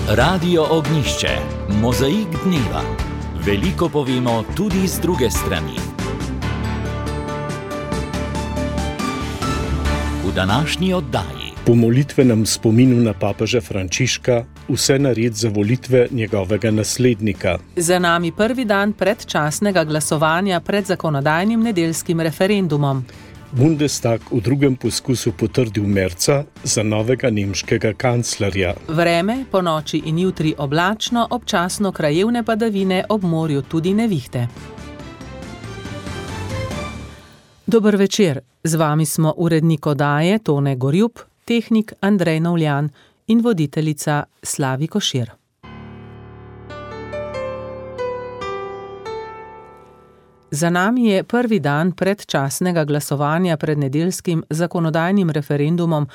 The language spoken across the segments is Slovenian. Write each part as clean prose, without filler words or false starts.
Radio Ognjišče, mozaik dneva. Veliko povemo tudi z druge strani. V današnji oddaji. Po molitvenem spominu na papeža Frančiška vse nared za volitve njegovega naslednika. Za nami prvi dan predčasnega glasovanja pred zakonodajnim nedeljskim referendumom. Bundestag v drugem poskusu potrdil Merza za novega nemškega kanclerja. Vreme, ponoči in jutri oblačno, občasno krajevne padavine, ob morju tudi nevihte. Dober večer, z vami smo urednik oddaje Tone Gorjup, tehnik Andrej Novljan in voditeljica Slavi Košir. Za nami je prvi dan predčasnega glasovanja pred nedeljskim zakonodajnim referendumom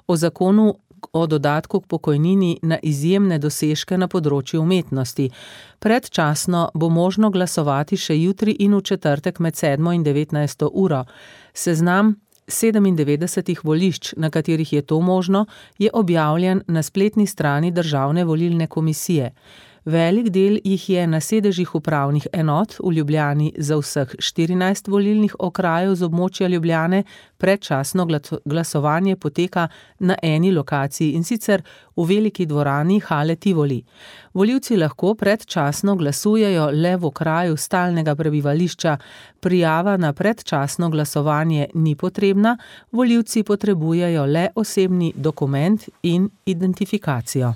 o zakonu o dodatku k pokojnini na izjemne dosežke na področju umetnosti. Predčasno bo možno glasovati še jutri in v četrtek med 7 in 19 uro. Seznam 97 volišč, na katerih je to možno, je objavljen na spletni strani Državne volilne komisije. Velik del jih je na sedežih upravnih enot v Ljubljani za vseh 14 volilnih okrajev z območja Ljubljane. Predčasno glasovanje poteka na eni lokaciji, in sicer v veliki dvorani Hale Tivoli. Volivci lahko predčasno glasujejo le v okraju stalnega prebivališča. Prijava na predčasno glasovanje ni potrebna, volivci potrebujejo le osebni dokument in identifikacijo.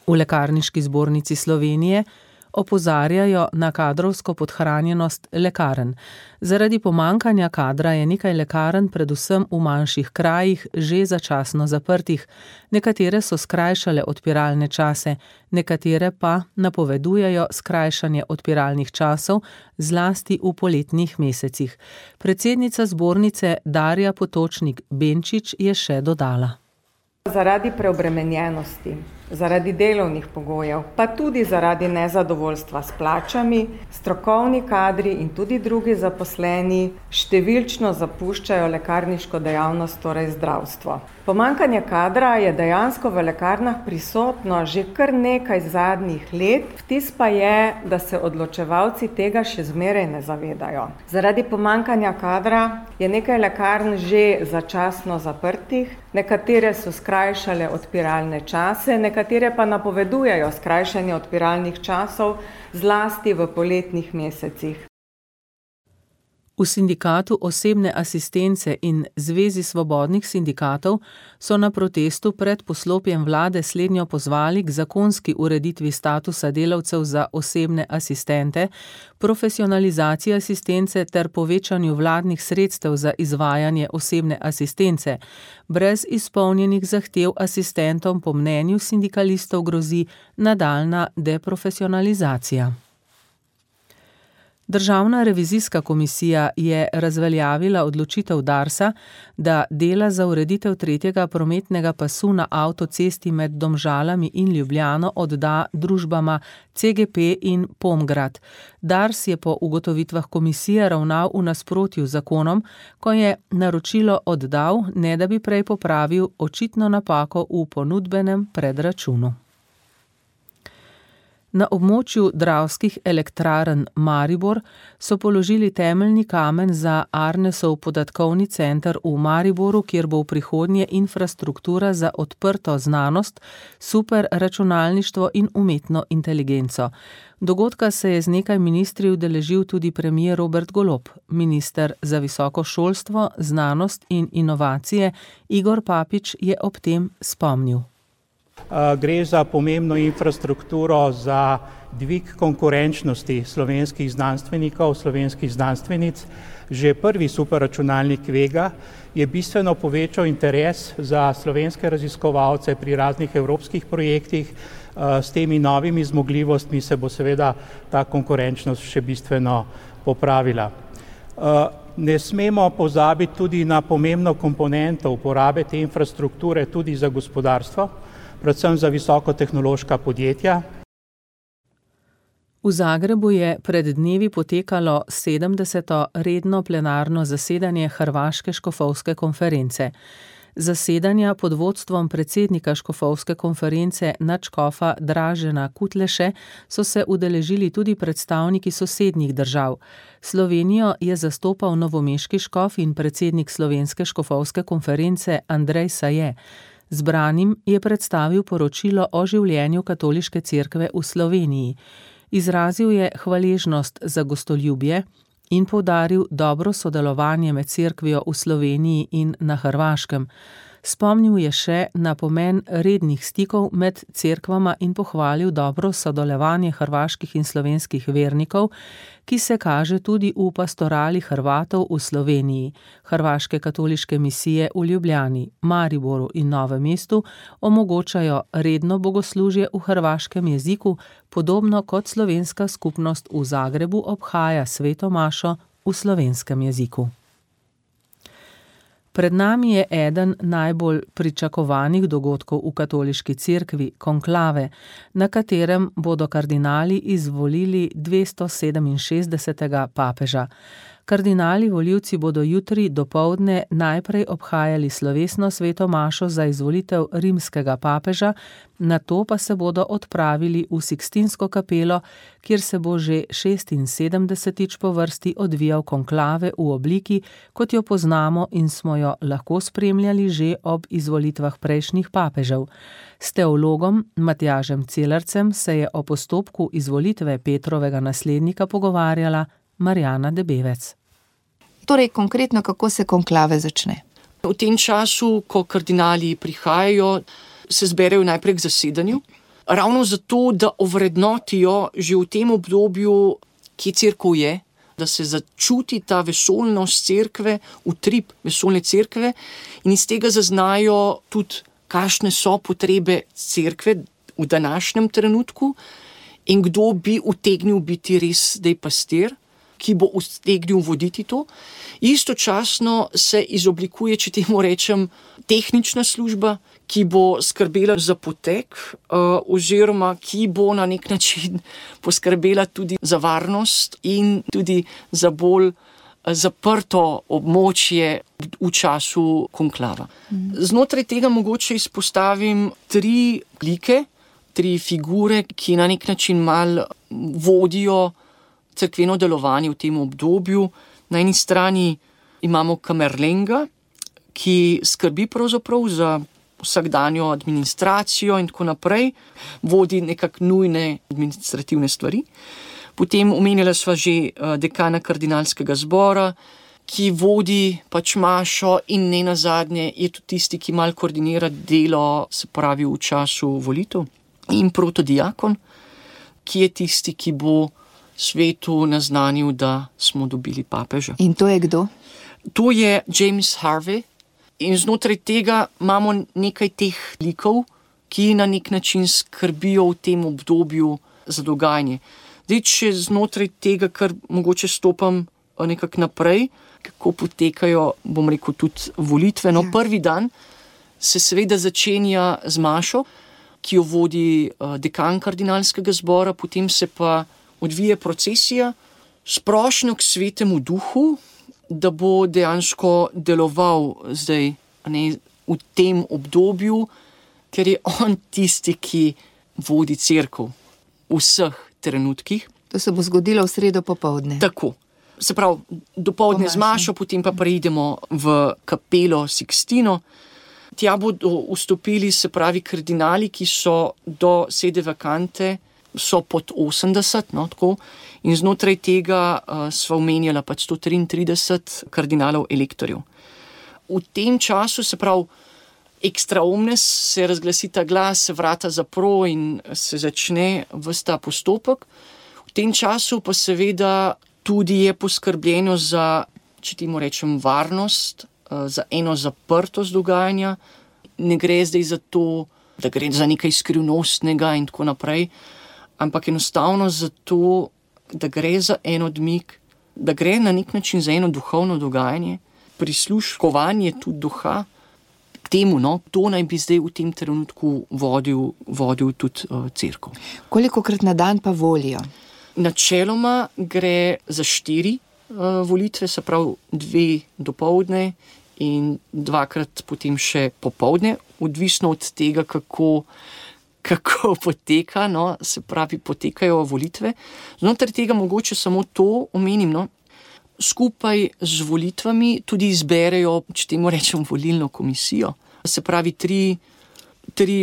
V Lekarniški zbornici Slovenije opozarjajo na kadrovsko podhranjenost lekarn. Zaradi pomanjkanja kadra je nekaj lekarn, predvsem v manjših krajih, že začasno zaprtih. Nekatere so skrajšale odpiralne čase, nekatere pa napovedujejo skrajšanje odpiralnih časov, zlasti v poletnih mesecih. Predsednica zbornice Darja Potočnik Benčič je še dodala. Zaradi preobremenjenosti, zaradi delovnih pogojev, pa tudi zaradi nezadovoljstva s plačami, strokovni kadri in tudi drugi zaposleni številčno zapuščajo lekarniško dejavnost, torej zdravstvo. Pomanjkanje kadra je dejansko v lekarnah prisotno že kar nekaj zadnjih let, vtis pa je, da se odločevalci tega še zmeraj ne zavedajo. Zaradi pomanjkanja kadra je nekaj lekarn že začasno zaprtih, nekatere so skrajšale odpiralne čase, nekatere pa napovedujejo skrajšanje odpiralnih časov, zlasti v poletnih mesecih. V sindikatu osebne asistence in Zvezi svobodnih sindikatov so na protestu pred poslopjem vlade slednjo pozvali k zakonski ureditvi statusa delavcev za osebne asistente, profesionalizaciji asistence ter povečanju vladnih sredstev za izvajanje osebne asistence. Brez izpolnjenih zahtev asistentom po mnenju sindikalistov grozi nadaljnja deprofesionalizacija. Državna revizijska komisija je razveljavila odločitev Darsa, da dela za ureditev tretjega prometnega pasu na avtocesti med Domžalami in Ljubljano odda družbama CGP in Pomgrad. Dars je po ugotovitvah komisije ravnal v nasprotju z zakonom, ko je naročilo oddal, ne da bi prej popravil očitno napako v ponudbenem predračunu. Na območju Dravskih elektrarn Maribor so položili temeljni kamen za Arnesov podatkovni center v Mariboru, kjer bo v prihodnje infrastruktura za odprto znanost, superračunalništvo in umetno inteligenco. Dogodka se je z nekaj ministri udeležil tudi premier Robert Golob. Minister za visoko šolstvo, znanost in inovacije Igor Papič je ob tem spomnil. Gre za pomembno infrastrukturo za dvig konkurenčnosti slovenskih znanstvenikov, slovenskih znanstvenic. Že prvi superračunalnik Vega je bistveno povečal interes za slovenske raziskovalce pri raznih evropskih projektih. S temi novimi zmogljivostmi se bo seveda ta konkurenčnost še bistveno popravila. Ne smemo pozabiti tudi na pomembno komponento uporabe te infrastrukture tudi za gospodarstvo, predvsem za visokotehnološka podjetja. V Zagrebu je pred dnevi potekalo 70. redno plenarno zasedanje Hrvaške škofovske konference. Zasedanja pod vodstvom predsednika škofovske konference nadškofa Dražena Kutleše so se udeležili tudi predstavniki sosednjih držav. Slovenijo je zastopal novomeški škof in predsednik slovenske škofovske konference Andrej Saje. Zbranim je predstavil poročilo o življenju katoliške cerkve v Sloveniji. Izrazil je hvaležnost za gostoljubje in poudaril dobro sodelovanje med cerkvijo v Sloveniji in na Hrvaškem. Spomnil je še na pomen rednih stikov med cerkvama in pohvalil dobro sodelovanje hrvaških in slovenskih vernikov, ki se kaže tudi v pastorali Hrvatov v Sloveniji. Hrvaške katoliške misije v Ljubljani, Mariboru in Novem mestu omogočajo redno bogoslužje v hrvaškem jeziku, podobno kot slovenska skupnost v Zagrebu obhaja sveto mašo v slovenskem jeziku. Pred nami je eden najbolj pričakovanih dogodkov v katoliški cerkvi, konklave, na katerem bodo kardinali izvolili 267. papeža. Kardinali volivci bodo jutri dopoldne najprej obhajali slovesno sveto mašo za izvolitev rimskega papeža, nato pa se bodo odpravili v Sikstinsko kapelo, kjer se bo že 76. po vrsti odvijal konklave v obliki, kot jo poznamo in smo jo lahko spremljali že ob izvolitvah prejšnjih papežev. S teologom Matjažem Celarcem se je o postopku izvolitve Petrovega naslednika pogovarjala Marjana Debevec. Torej, konkretno, kako se konklave začne? V tem času, ko kardinali prihajajo, se zberejo najprej k zasedanju, ravno zato, da ovrednotijo že v tem obdobju, kje cerkev je, da se začuti ta vesoljnost cerkve, utrip vesoljne cerkve in iz tega zaznajo tudi, kakšne so potrebe cerkve v današnjem trenutku in kdo bi utegnil biti res zdaj pastir, ki bo utegnil voditi to. Istočasno se izoblikuje, če temu rečem, tehnična služba, ki bo skrbela za potek oziroma ki bo na nek način poskrbela tudi za varnost in tudi za bolj zaprto območje v času konklava. Znotraj tega mogoče izpostavim 3 like, 3 figure, ki na nek način malo vodijo cerkveno delovanje v tem obdobju. Na eni strani imamo kamerlenga, ki skrbi pravzaprav za vsakdanjo administracijo in tako naprej, vodi nekako nujne administrativne stvari. Potem omenjala sva že dekana kardinalskega zbora, ki vodi pač mašo in ne nazadnje je tudi tisti, ki malo koordinira delo, se pravi v času volitev. In protodiakon, ki je tisti, ki bo svetu naznanil, da smo dobili papeža. In to je kdo? To je James Harvey in znotraj tega imamo nekaj teh likov, ki na nek način skrbijo v tem obdobju za dogajanje. Zdaj, če znotraj tega, kar mogoče stopam nekako naprej, kako potekajo, bom rekel, tudi volitve. No, prvi dan se seveda začenja z mašo, ki jo vodi dekan kardinalskega zbora, potem se pa odvije procesija s prošnjo k svetemu duhu, da bo dejansko deloval zdaj v tem obdobju, ker je on tisti, ki vodi cerkev v vseh trenutkih. To se bo zgodilo v sredo popoldne. Tako. Se pravi, dopoldne z mašo, potem pa preidemo v kapelo Sikstino. Tja bodo vstopili, se pravi, kardinali, ki so do sede vakante, so pod 80, no, tako. In znotraj tega sva omenjala pač 133 kardinalov elektorjev. V tem času, se pravi, extra omnes, se razglasi ta glas, se vrata zapro in se začne ves ta postopek. V tem času pa seveda tudi je poskrbljeno za, če temu rečem, varnost, za eno zaprtost dogajanja. Ne gre zdaj za to, da gre za nekaj skrivnostnega in tako naprej, ampak enostavno zato, da gre za en odmik, da gre na nek način za eno duhovno dogajanje, prisluškovanje tudi duha k temu, no, to naj bi zdaj v tem trenutku vodil tudi cerkev. Kolikokrat na dan pa volijo? Načeloma gre za 4 volitve, se pravi 2 dopoldne in 2-krat potem še popoldne, odvisno od tega, kako poteka, no, se pravi, potekajo volitve. Znotraj tega mogoče samo to omenim, no, skupaj z volitvami tudi izberejo, če temu rečem, volilno komisijo. Se pravi, tri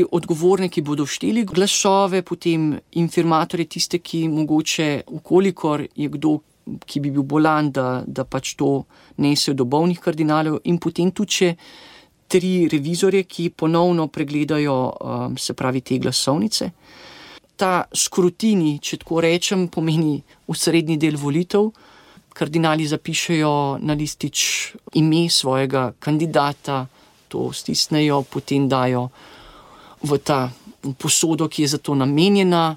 odgovorne, ki bodo šteli glasove, potem informatorje, tiste, ki mogoče, ukolikor je kdo, ki bi bil bolan, da pač to nesejo do bolnih kardinalov, in potem tudi še 3 revizorje, ki ponovno pregledajo, se pravi, te glasovnice. Ta skrutini, če tako rečem, pomeni osrednji del volitev. Kardinali zapišejo na listič ime svojega kandidata, to stisnejo, potem dajo v ta posodo, ki je za to namenjena,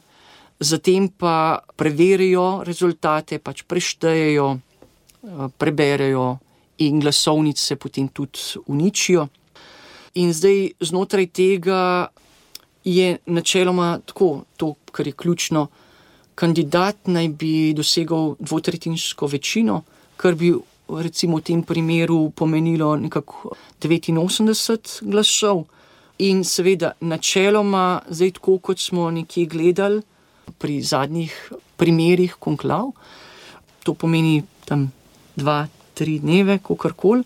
zatem pa preverijo rezultate, pač preštejejo, preberejo in glasovnice potem tudi uničijo. In zdaj znotraj tega je načeloma tako, to, kar je ključno, kandidat naj bi dosegal 2/3 večino, kar bi recimo v tem primeru pomenilo nekako 89 glasov. In seveda načeloma, zdaj tako kot smo nekje gledali pri zadnjih primerih konklav, to pomeni tam 2-3 dneve, kakorkoli.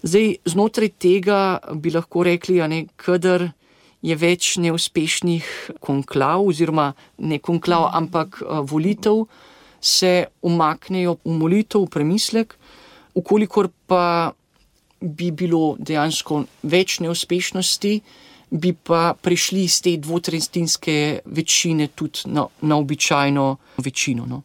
Zdaj znotraj tega bi lahko rekli, kadar je več neuspešnih konklav, oziroma ne konklav, ampak volitev, se umaknejo v molitev, v premislek. Ukolikor pa bi bilo dejansko več neuspešnosti, bi pa prišli iz te 2/3 večine tudi na običajno večino. No.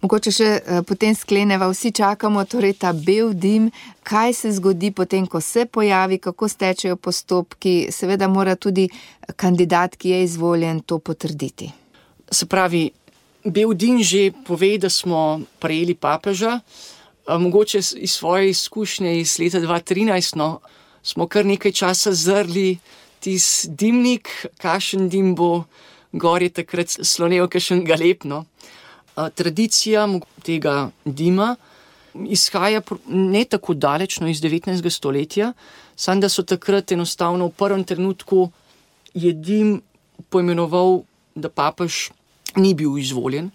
Mogoče še potem skleneva, vsi čakamo torej ta bel dim, kaj se zgodi potem, ko se pojavi, kako stečejo postopki, seveda mora tudi kandidat, ki je izvoljen, to potrditi. Se pravi, bel dim že pove, da smo prejeli papeža, mogoče iz svoje izkušnje iz leta 2013, no, smo kar nekaj časa zrli tis dimnik, kakšen dim bo, gor je takrat slonel kakšen galeb, no. Tradicija tega dima izhaja ne tako dalečno iz 19. stoletja, samo da so takrat enostavno v prvem trenutku je dim poimenoval, da papež ni bil izvoljen.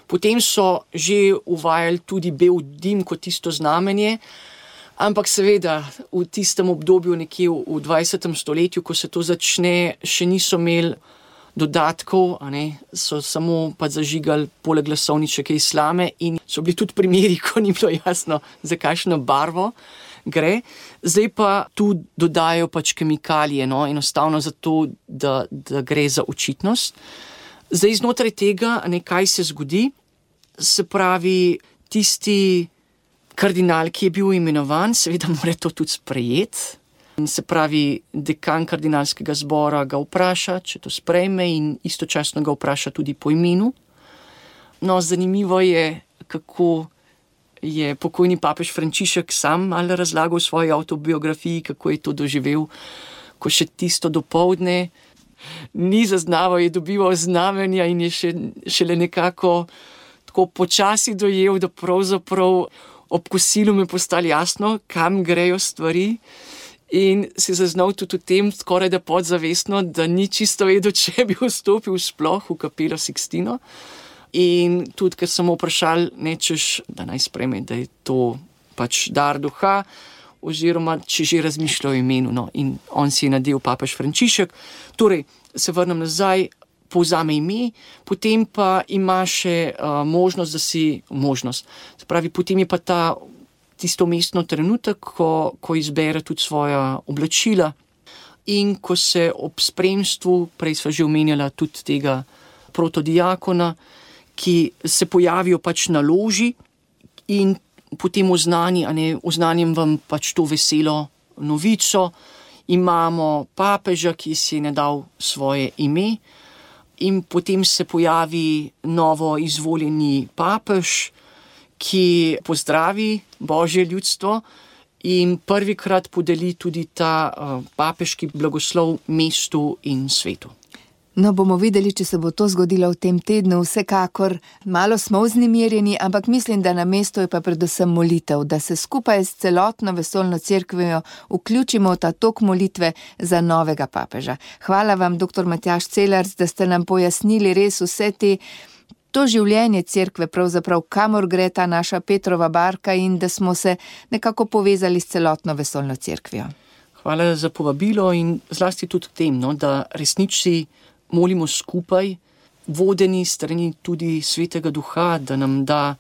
Potem so že uvajali tudi bel dim kot tisto znamenje, ampak seveda v tistem obdobju nekje v 20. stoletju, ko se to začne, še niso imeli dodatkov, so samo pa zažigali poleg glasovničke iz slame in so bili tudi primeri, ko ni bilo jasno, za kakšno barvo gre. Zdaj pa tu dodajo pač kemikalije, no, enostavno zato, da gre za očitnost. Zdaj znotraj tega, kaj se zgodi, se pravi, tisti kardinal, ki je bil imenovan, seveda mora to tudi sprejeti. Se pravi, dekan kardinalskega zbora ga vpraša, če to sprejme, in istočasno ga vpraša tudi po imenu. No, zanimivo je, kako je pokojni papež Frančišek sam malo razlagal v svoji avtobiografiji, kako je to doživel, ko še tisto dopoldne ni zaznaval, je dobival znamenja in je šele nekako tako počasi dojel, da pravzaprav ob kosilu mi je postalo jasno, kam grejo stvari. In si zaznal tudi v tem, skoraj da podzavestno, da ni čisto vedel, če bi vstopil sploh v kapelo Sixtino. In tudi, ker sem vprašal, nečeš, da naj sprejme, da je to pač dar duha, oziroma če že razmišlja o imenu. No. In on si je nadel papež Frančišek. Torej, se vrnem nazaj, povzame ime, potem pa ima še možnost, Se pravi, potem je pa tisto mestno trenutek, ko izbere tudi svoja oblačila in ko se ob spremstvu, prej sva že omenjala tudi tega protodiakona, ki se pojavijo pač na loži in potem oznanjem vam pač to veselo novico. Imamo papeža, ki si je nadal svoje ime, in potem se pojavi novo izvoljeni papež, ki pozdravi Božje ljudstvo in prvikrat podeli tudi ta papeški blagoslov mestu in svetu. No, bomo videli, če se bo to zgodilo v tem tednu. Vsekakor malo smo vznemirjeni, ampak mislim, da na mestu je pa predvsem molitev, da se skupaj s celotno vesoljno cerkvijo vključimo v ta tok molitve za novega papeža. Hvala vam, dr. Matjaž Celarc, da ste nam pojasnili res vse to življenje cerkve, pravzaprav kamor gre ta naša Petrova barka in da smo se nekako povezali s celotno vesoljno cerkvijo. Hvala za povabilo in zlasti tudi k tem, da resnici molimo skupaj, vodeni strani tudi Svetega Duha, da nam da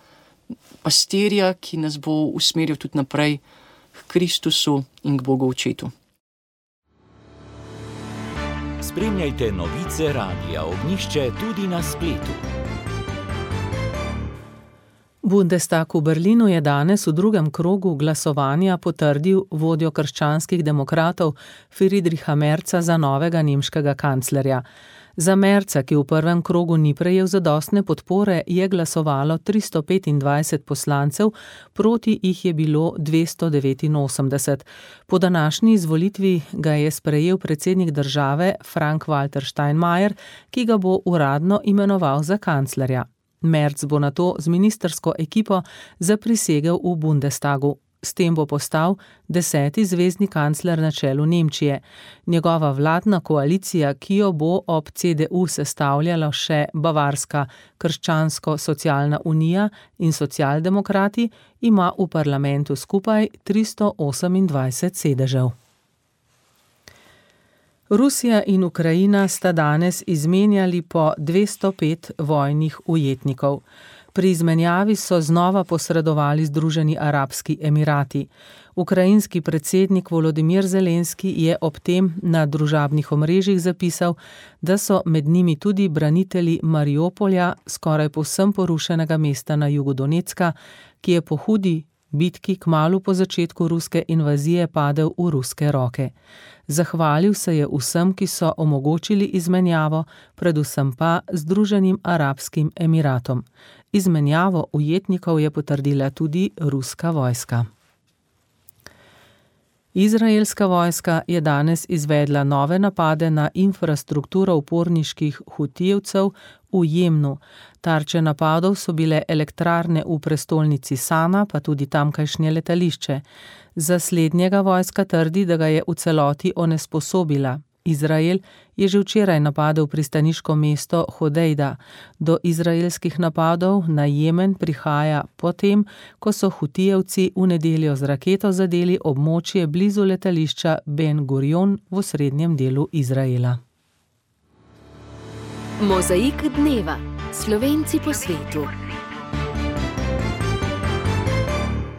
pastirja, ki nas bo usmeril tudi naprej k Kristusu in k Bogu Očetu. Spremljajte novice Radia Ognjišče tudi na spletu. Bundestag v Berlinu je danes v drugem krogu glasovanja potrdil vodjo krščanskih demokratov Friedricha Merza za novega nemškega kanclerja. Za Merza, ki v prvem krogu ni prejel zadostne podpore, je glasovalo 325 poslancev, proti jih je bilo 289. Po današnji izvolitvi ga je sprejel predsednik države Frank-Walter Steinmeier, ki ga bo uradno imenoval za kanclerja. Merz bo nato z ministrsko ekipo zaprisegel v Bundestagu. S tem bo postal 10. zvezni kancler na čelu Nemčije. Njegova vladna koalicija, ki jo bo ob CDU sestavljala še Bavarska krščansko-socialna unija in socialdemokrati, ima v parlamentu skupaj 328 sedežev. Rusija in Ukrajina sta danes izmenjali po 205 vojnih ujetnikov. Pri izmenjavi so znova posredovali Združeni arabski emirati. Ukrajinski predsednik Volodimir Zelenski je ob tem na družabnih omrežjih zapisal, da so med njimi tudi branitelji Mariupolja, skoraj povsem porušenega mesta na jugu Donecka, ki je po hudi bitki kmalu po začetku ruske invazije padel v ruske roke. Zahvalil se je vsem, ki so omogočili izmenjavo, predvsem pa Združenim arabskim emiratom. Izmenjavo ujetnikov je potrdila tudi ruska vojska. Izraelska vojska je danes izvedla nove napade na infrastrukturo uporniških Hutijevcev v Jemnu. Tarče napadov so bile elektrarne v prestolnici Sana, pa tudi tamkajšnje letališče. Za slednjega vojska trdi, da ga je v celoti onesposobila. Izrael je že včeraj napadel pristaniško mesto Hodejda. Do izraelskih napadov na Jemen prihaja potem, ko so Hutijevci v nedeljo z raketo zadeli območje blizu letališča Ben Gurion v osrednjem delu Izraela. Mozaik dneva. Slovenci po svetu.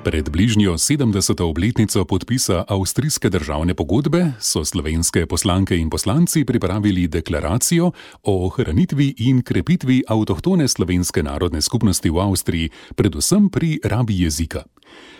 Pred bližnjo 70. obletnico podpisa avstrijske državne pogodbe so slovenske poslanke in poslanci pripravili deklaracijo o ohranitvi in krepitvi avtohtone slovenske narodne skupnosti v Avstriji, predvsem pri rabi jezika.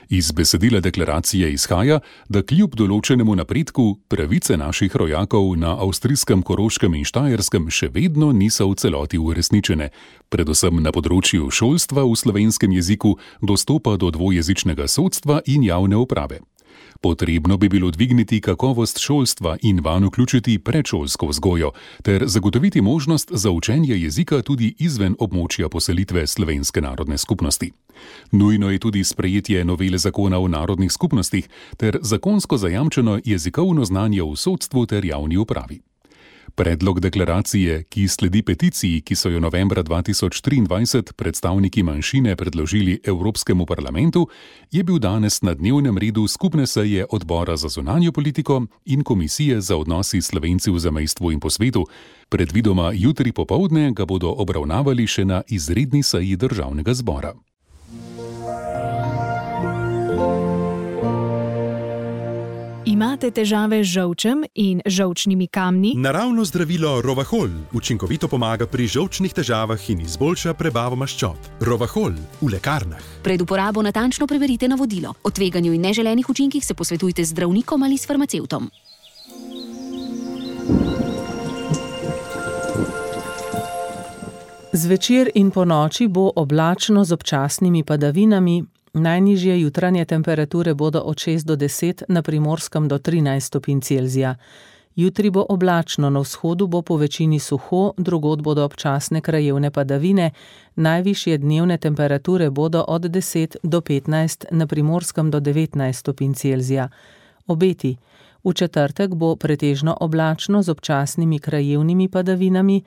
Iz besedila deklaracije izhaja, da kljub določenemu napredku pravice naših rojakov na avstrijskem Koroškem in Štajerskem še vedno niso v celoti uresničene, predvsem na področju šolstva v slovenskem jeziku, dostopa do dvojezičnega sodstva in javne uprave. Potrebno bi bilo dvigniti kakovost šolstva in vanj vključiti predšolsko vzgojo ter zagotoviti možnost za učenje jezika tudi izven območja poselitve slovenske narodne skupnosti. Nujno je tudi sprejetje novele zakona o narodnih skupnostih ter zakonsko zajamčeno jezikovno znanje v sodstvu ter javni upravi. Predlog deklaracije, ki sledi peticiji, ki so jo novembra 2023 predstavniki manjšine predložili Evropskemu parlamentu, je bil danes na dnevnem redu skupne seje Odbora za zunanjo politiko in Komisije za odnosi s Slovenci v zamejstvu in po svetu. Predvidoma jutri popoldne ga bodo obravnavali še na izredni seji Državnega zbora. Imate težave z žolčem in žolčnimi kamni? Naravno zdravilo Rovahol učinkovito pomaga pri žolčnih težavah in izboljša prebavo maščob. Rovahol v lekarnah. Pred uporabo natančno preverite navodilo. O tveganju in neželenih učinkih se posvetujte z zdravnikom ali s farmacevtom. Zvečer in ponoči bo oblačno z občasnimi padavinami. Najnižje jutranje temperature bodo od 6 do 10, na Primorskem do 13 stopinj Celzija. Jutri bo oblačno, na vzhodu bo po večini suho, drugod bodo občasne krajevne padavine, najvišje dnevne temperature bodo od 10 do 15, na Primorskem do 19 stopinj Celzija. Obeti. V četrtek bo pretežno oblačno z občasnimi krajevnimi padavinami,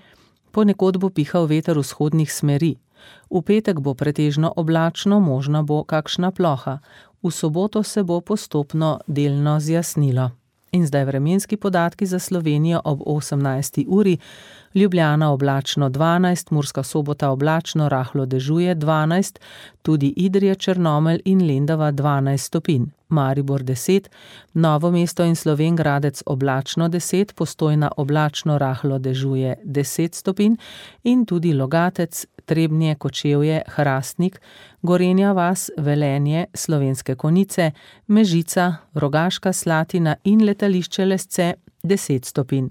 ponekod bo pihal veter vzhodnih smeri. V petek bo pretežno oblačno, možna bo kakšna ploha. V soboto se bo postopno delno zjasnilo. In zdaj vremenski podatki za Slovenijo ob 18. uri. Ljubljana oblačno 12, Murska Sobota oblačno, rahlo dežuje 12, tudi Idrija, Črnomelj in Lendava 12 stopinj. Maribor 10, Novo mesto in Slovenj Gradec oblačno 10, Postojna oblačno, rahlo dežuje 10 stopinj in tudi Logatec, Trebnje, Kočevje, Hrastnik, Gorenja vas, Velenje, Slovenske Konjice, Mežica, Rogaška Slatina in letališče Lesce 10 stopinj.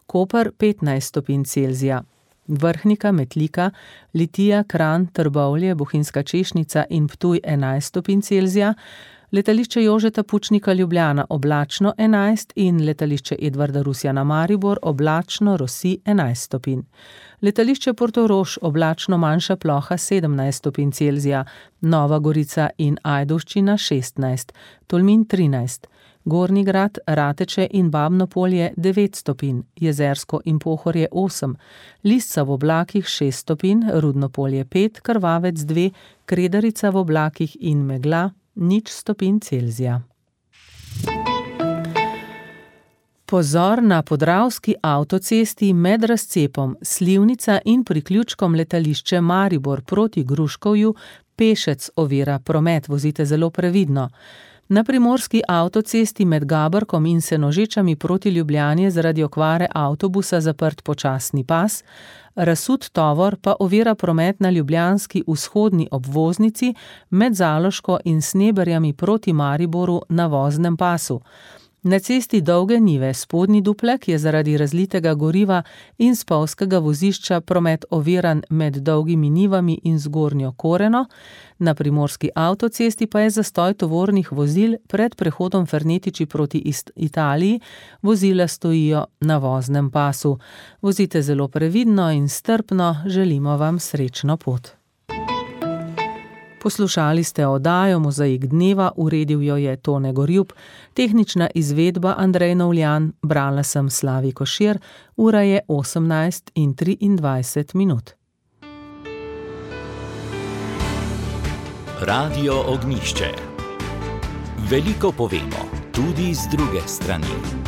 Koper 15 stopinj Celzija. Vrhnika, Metlika, Litija, Kranj, Trbovlje, Bohinjska Češnica in Ptuj 11 stopinj Celzija. Letališče Jožeta Pučnika Ljubljana oblačno 11 in letališče Edvarda Rusjana Maribor oblačno, rosi 11 stopinj. Letališče Portorož oblačno, manjša ploha 17 stopinj Celzija, Nova Gorica in Ajdovščina 16, Tolmin 13, Gornji Grad, Rateče in Babno Polje 9 stopinj, Jezersko in Pohorje 8, Lisca v oblakih 6 stopinj, Rudno Polje 5, Krvavec 2, Kredarica v oblakih in megla 0 stopinj Celzija. Pozor na Podravski avtocesti med razcepom Slivnica in priključkom letališče Maribor proti Gruškovju pešec ovira promet, vozite zelo previdno. Na Primorski avtocesti med Gabrkom in Senožečami proti Ljubljani je zaradi okvare avtobusa zaprt počasni pas, razsut tovor pa ovira promet na ljubljanski vzhodni obvoznici med Zaloško in Sneberjami proti Mariboru na voznem pasu. Na cesti Dolge Nive spodnji Duplek je zaradi razlitega goriva in spolzkega vozišča promet oviran med Dolgimi Nivami in Zgornjo Koreno, na Primorski avtocesti pa je zastoj tovornih vozil pred prehodom Fernetiči proti Italiji, vozila stojijo na voznem pasu. Vozite zelo previdno in strpno, želimo vam srečno pot. Poslušali ste oddajo Mozaik dneva, uredil jo je Tone Gorjup, tehnična izvedba Andrej Novljan, brala sem Slavi Košir, ura je 18:23. Radio Ognjišče. Veliko povemo, tudi z druge strani.